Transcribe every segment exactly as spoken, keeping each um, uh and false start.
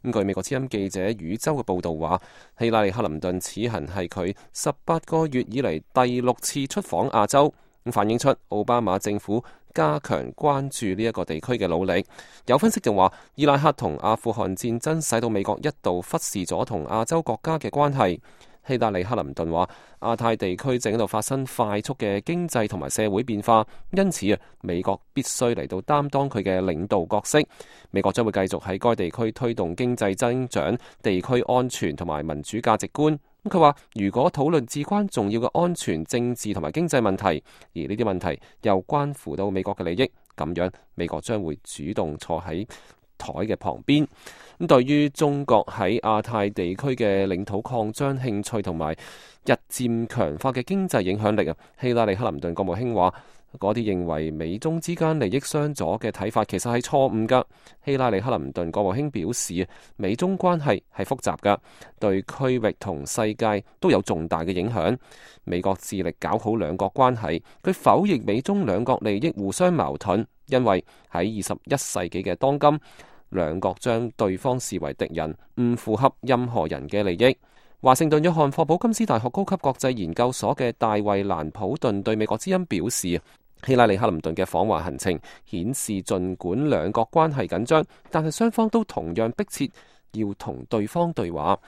咁據美國之音記者宇宙嘅報導話，希拉里克林頓此行係佢十八個月以嚟第六次出訪亞洲，咁反映出奧巴馬政府加強關注呢一個地區嘅努力。有分析就話，伊拉克同阿富汗戰爭使到美國一度忽視咗同亞洲國家嘅關係。希拉里克林頓話，亞太地區正喺度發生快速嘅經濟同埋社會變化，因此啊，美國必須嚟到擔當佢嘅領導角色。美國將會繼續喺該地區推動經濟增長、地區安全同埋民主價值觀。咁佢話，如果討論至關重要嘅安全、政治同埋經濟問題，而呢啲問題又關乎到美國嘅利益，咁樣美國將會主動坐喺台嘅旁邊。咁對於中國喺亞太地區嘅領土擴張興趣同埋日漸強化嘅經濟影響力啊，希拉里克林頓國務卿話，嗰啲認為美中之間利益相左嘅睇法其實係錯誤噶。希拉里克林頓國務卿表示，美中關係係複雜噶，對區域同世界都有重大嘅影響。美國致力搞好兩國關係，佢否認美中兩國利益互相矛盾，因為喺二十一世紀嘅當今，兩國將對方視為敵人，唔符合任何人嘅利益。華盛頓約翰霍普金斯大學高級國際研究所嘅大衛蘭普頓對美國之音表示，希拉里克林頓嘅訪華行程顯示，儘管兩國關係緊張，但係雙方都同樣迫切要同對方對話。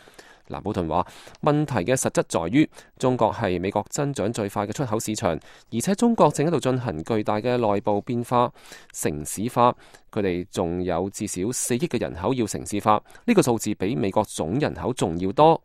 蘭普頓話，問題嘅實質在於中國係美國增長最快嘅出口市場，而且中國正喺度進行巨大嘅內部變化、城市化。佢哋仲有至少四億嘅人口要城市化，呢個數字比美國總人口仲要多。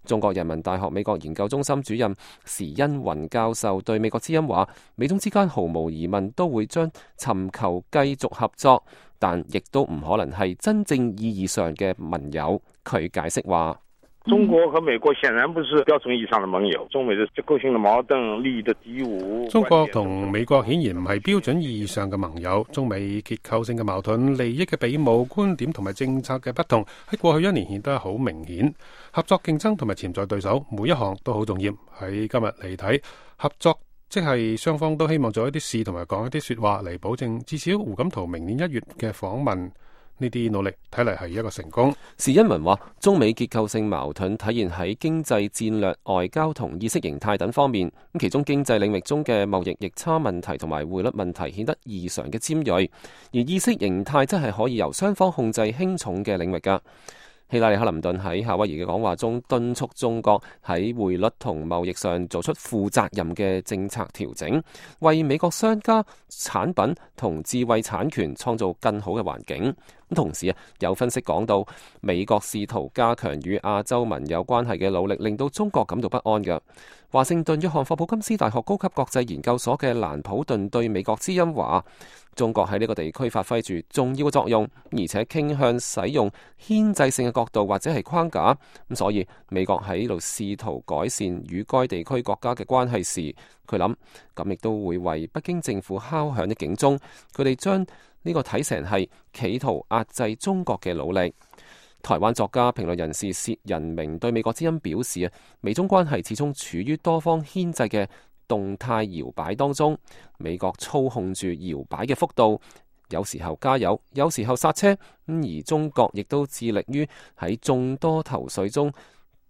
中國人民大學美國研究中心主任時殷雲教授對美國之音話，美中之間毫無疑問都會將尋求繼續合作，但亦都唔可能係真正意義上嘅盟友。佢解釋話，中國和美國顯然不是標準意義上的盟友，中美的結構性的矛盾、利益的敵伍。中國同美國顯然唔係標準意義上嘅盟友，中美結構性嘅矛盾、利益嘅比武、觀點同埋政策嘅不同，喺過去一年顯得好明顯。合作競爭同埋潛在對手，每一項都好重要。喺今日嚟睇，合作即係雙方都希望做一啲事同埋講一啲說話嚟保證，至少胡錦濤明年一月嘅訪問。呢啲努力睇嚟係一個成功。時殷文話，中美結構性矛盾體現喺經濟戰略、外交同意識形態等方面。咁其中經濟領域中嘅貿易逆差問題同埋匯率問題顯得異常嘅尖銳，而意識形態則係可以由雙方控制輕重嘅領域㗎。希拉里克林頓喺夏威夷嘅講話中敦促中國喺匯率同貿易上做出負責任嘅政策調整，為美國商家、產品同智慧產權創造更好嘅環境。同時啊，有分析講到，美國試圖加強與亞洲盟友關係嘅努力，令到中國感到不安嘅。華盛頓約翰霍普金斯大學高級國際研究所嘅蘭普頓對美國之音話，中國喺呢個地區發揮住重要嘅作用，而且傾向使用牽制性嘅角度或者係框架。咁所以美國喺呢度試圖改善與該地區國家嘅關係時，佢諗咁亦都會為北京政府敲響啲警鐘。佢哋將呢個睇成係企圖壓制中國嘅努力。台灣作家、評論人士薛仁明對美國之音表示啊，美中關係始終處於多方牽制嘅動態搖擺當中，美國操控住搖擺嘅幅度，有時候加油，有時候剎車，而中國亦都致力於喺眾多頭緒中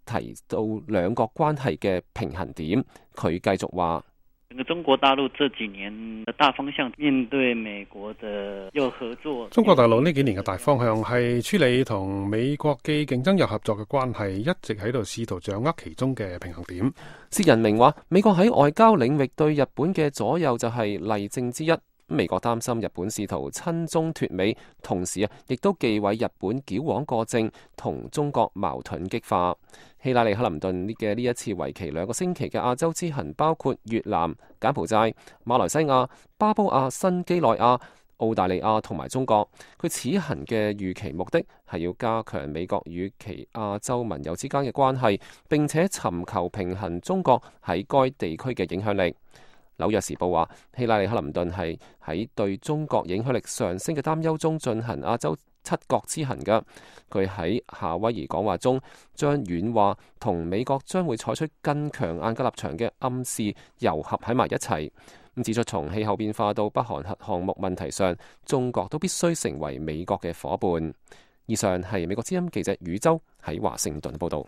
提到兩國關係嘅平衡點。佢繼續話，整個中國大陸這幾年的大方向，面對美國的又合作。中國大陸呢幾年嘅大方向係處理同美國既競爭又合作嘅關係，一直喺度試圖掌握其中嘅平衡點。薛仁明話，美國喺外交領域對日本嘅左右就係例證之一。美國擔心日本試圖親中脫美，同時啊，亦都忌諱日本矯枉過正，同中國矛盾激化。希拉里克林頓嘅呢一次為期兩個星期嘅亞洲之行，包括越南、柬埔寨、馬來西亞、巴布亞新幾內亞、澳大利亞同埋中國。佢此行嘅預期目的係要加強美國與其亞洲盟友之間嘅關係，並且尋求平衡中國喺該地區嘅影響力。紐約時報話，希拉里克林頓係喺對中國影響力上升嘅擔憂中進行亞洲七國之行嘅。佢喺夏威夷講話中將軟化同美國將會採取更強硬嘅立場嘅暗示糅合喺埋一齊。咁指出，從氣候變化到北韓核項目問題上，中國都必須成為美國嘅夥伴。以上係美國之音記者宇洲喺華盛頓報道。